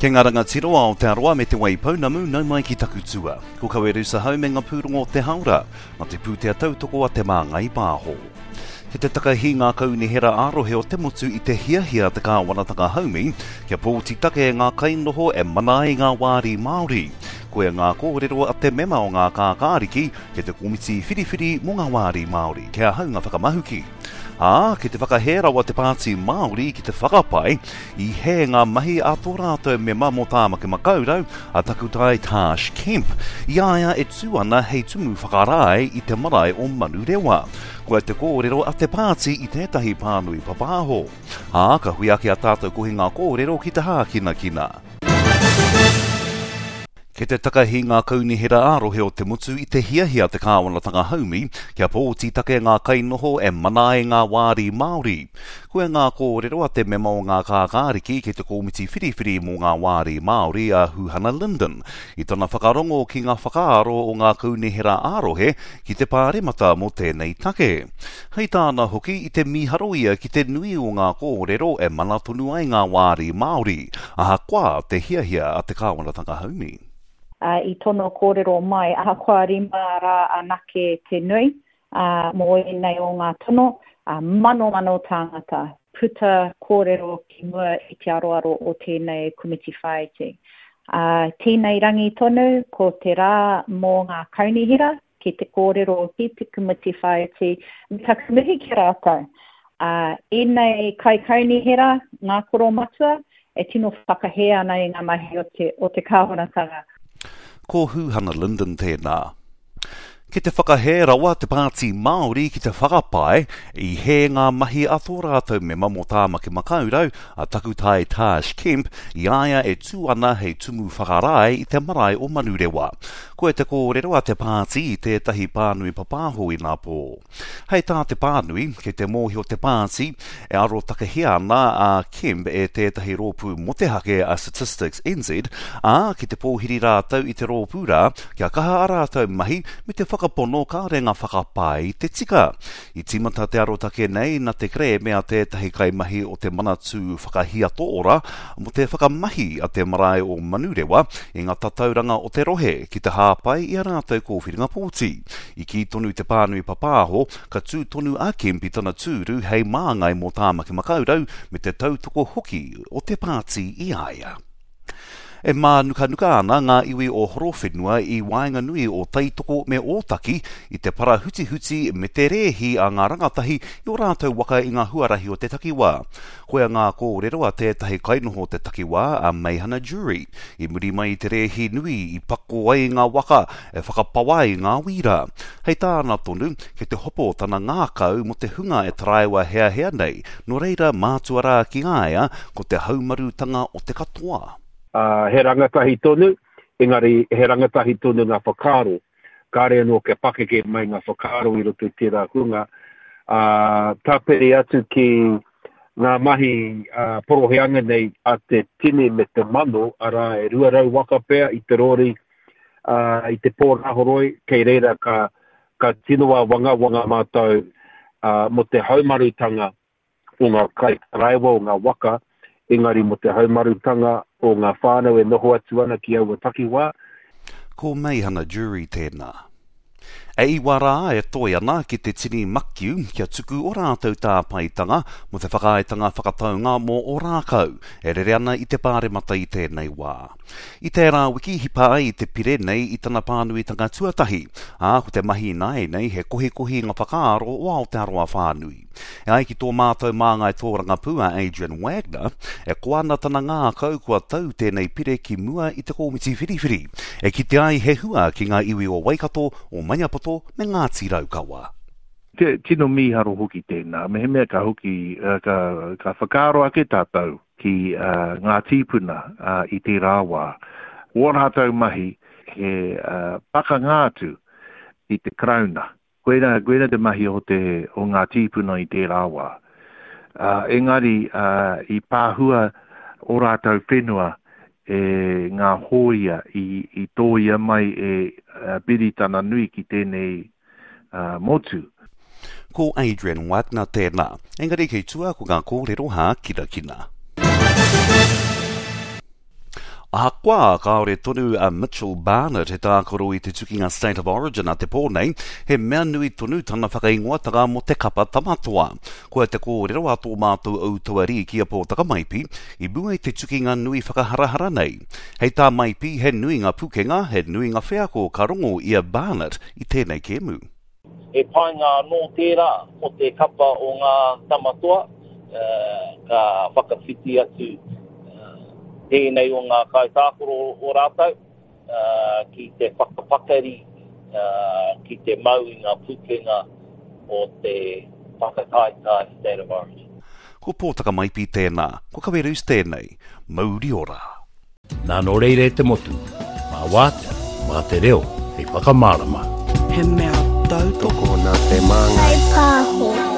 Kei ngā rangatira o Aotearoa me Te Waipounamu, nau mai ki taku tua. Ko Kawerusa Hau me ngā pūrongo o te haora, nā te pūtea tautoko a Te Māngai Pāho. Ki te takahi ngā kaunihera ā-rohe o te motu i te hiahia a te kāwanatanga haumi kia pōti take ngā kainoho e mana ai ngā wāri Māori. Koia ngā kōrero a te mema o ngā kākāriki kei te komiti whiriwhiri mō ngā wāri Māori, kei ahau ngā whakamahuki. Ā, ki te whakahē rawa te Pāti Māori ki te whakapae i hē ngā mahi a tō rātou mema mō Tāmaki Makaurau, a Takutai Tarsh Kemp, i a ia e tū ana hei tumu whakarae i te marae o Manurewa. Koia te kōrero a te pāti i tētahi pānui papāho. Ā, ka hui ake a tātou kohinga kōrero ki te hākinakina. Kei te takahi ngā kaunihera ā-rohe o te motu i te hiahia te kāwanatanga haumi kia pōti take ngā kainoho e mana ai ngā wāri Māori. Koia ngā kōrero a te mema o ngā kākāriki kei te kōmiti whiriwhiri mō ngā wāri Māori a Huhana Lyndon i tana whakarongo ki ngā whakaaro o ngā kaunihera ā-rohe ki te pāremata mō tēnei take. Hei tāna hoki, i te mīharo ia ki te nui o ngā kōrero e mana tonu ai ngā wāri Māori, ahakoa te hiahia a te kāwanatanga haumi. I tono kōrero mai, ahakoa 5 rā anake te nui mō ēnei o ngā tono, manomano tāngata puta kōrero ki mua i te aroaro o tēnei komiti whāiti. Tēnei rangi tonu, ko te rā mō ngā kaunihera, ki te kōrero ki te komiti whāiti, me taku mihi ki a rātou. Ā, ēnei kaikaunihera, ngā koromatua, e tino whakahē ana i ngā mahi o te, o te kāwanatanga. Ko Huhana Lyndon tēnā. Ki te whakahē rawa te Pāti Māori ki te whakapae i hē ngā mahi a tō rātou mema mō Tāmaki Makaurau, a Takutai Tarsh Kemp, i a ia e tū ana hei tumu whakarae i te marae o Manurewa. Koe te kōrero a te pāti i tētahi pānui papāho inapō. Hei tā te pānui, kei te mōhio te pāti, e arotakehia ana a Kemp e tētahi rōpū motehake a Statistics NZ, ā, ki te pōhiri rātou i te rōpū rā kia kaha ā rātou mahi me te whakapono kāore ngā whakapae i te tika. I tīmata te arotake nei na te kerēme a tētahi kaimahi o te Manatū Whakahiato Ora mō te whakamahi a te marae o Manurewa i ngā tatauranga o te rohe ki te hāpai i a rātou kōwhiringa pōti. I kī tonu te pānui papāho, ka tū tonu a Kemp i tana tūru hei māngai mō Tāmaki Makaurau me te tautoko hoki o te pāti i a ia. E mānukanuka ana ngā iwi o Horowhenua i waenganui o Taitoko me Ōtaki i te parahutihuti me te rēhi a ngā rangatahi i ō rātou waka i ngā huarahi o te takiwā. Koia ngā kōrero a tētahi kainoho o te takiwā, a Meihana Jury, i muri mai i te rēhi nui i pako ai ngā waka e whakapawa ai ngā wīra. Hei tāna tonu, kei te hopo tana ngākau mō te hunga e taraiwa heahea nei, nō reira mātua rā ki a ia ko te haumarutanga o te katoa. Ā, he rangatahi tonu, engari he rangatahi tonu ngā whakaaro. Kāre anō kia pakeke mai ngā whakaaro i roto i tērā hunga, ā, tāpiri atu ki ngā mahi poroheanga nei a te tini me te mano, arā, e 200 waka pea i te rori, ā, i te pō rāhoroi, kei reira ka, ka tino āwangawanga mātou, ā, mō te haumarutanga o ngā kaitaraiwa o ngā waka, engari mō te haumarutanga o ngā whānau e noho atu ana ki aua takiwā. Ko Meihana Jury tēnā. E iwa rā e toe ana ki te tini makiu kia tuku o rātou tāpaetanga mō te whakaaetanga whakataunga mō Ōrākau e rere ana i te Pāremata i tēnei wā. I tērā wiki hipa ai te pire nei i tana pānuitanga tuatahi, ā, ko te mahi ināianei he kohikohi i ngā whakaaro o Aotearoa whānui. E ai ki tō mātou māngai tōrangapū a Adrian Wagner, e koa ana tana ngākau kua tau tēnei pire ki mua i te kōmiti whiriwhiri, e kitea ai he hua ki ngā iwi o Waikato, o Maniapoto me Ngāti Raukawa. Te tino mīharo hoki tēnā, mehemea ka hoki, ka, ka whakaaro ake tātou ki ngā tīpuna i tērā wā, ō rātou mahi he pakanga atu ki te Karauna. Koirā, koirā te mahi o te, o ngā tīpuna i tērā wā. Ā, engari, ā, i pāhua ō rātou whenua e ngā hōia i, i tōia mai e Piritana Nui ki tēnei, ā, motu. Ko Adrian Wagner tēnā, engari kei tua ko ngā kōrero hākinakina. Ahakoa kāore tonu a Mitchell Barnett he tākaro i te tukinga State of Origin a te pō nei, he mea nui tonu tana whakaingoatanga mō te kapa Tamatoa. Koia te kōrero a tō mātou Outauarī ki a Pōtaka Maipi i mua i te tukinga nui whakaharahara nei. Hei tā Maipi, he nui ngā pukenga, he nui ngā wheako ka rongo i a Barnett i tēnei kēmu. He painga anō tērā mō te kapa o ngā tama toa, ka whakawhiti atu tēnei o ngā kaitākaro o rātou ki te whakapakari, ki te mau i ngā pūkenga o te whakataetae State of Origin. Ko Pōtaka Maipi tēnā, ko Kawerus tēnei. Mauri ora! Nā nō reira e te motu, mā wātea, mā te reo hei whakamārama. He mea tautoko. Tokona te māngai. Whai pāho.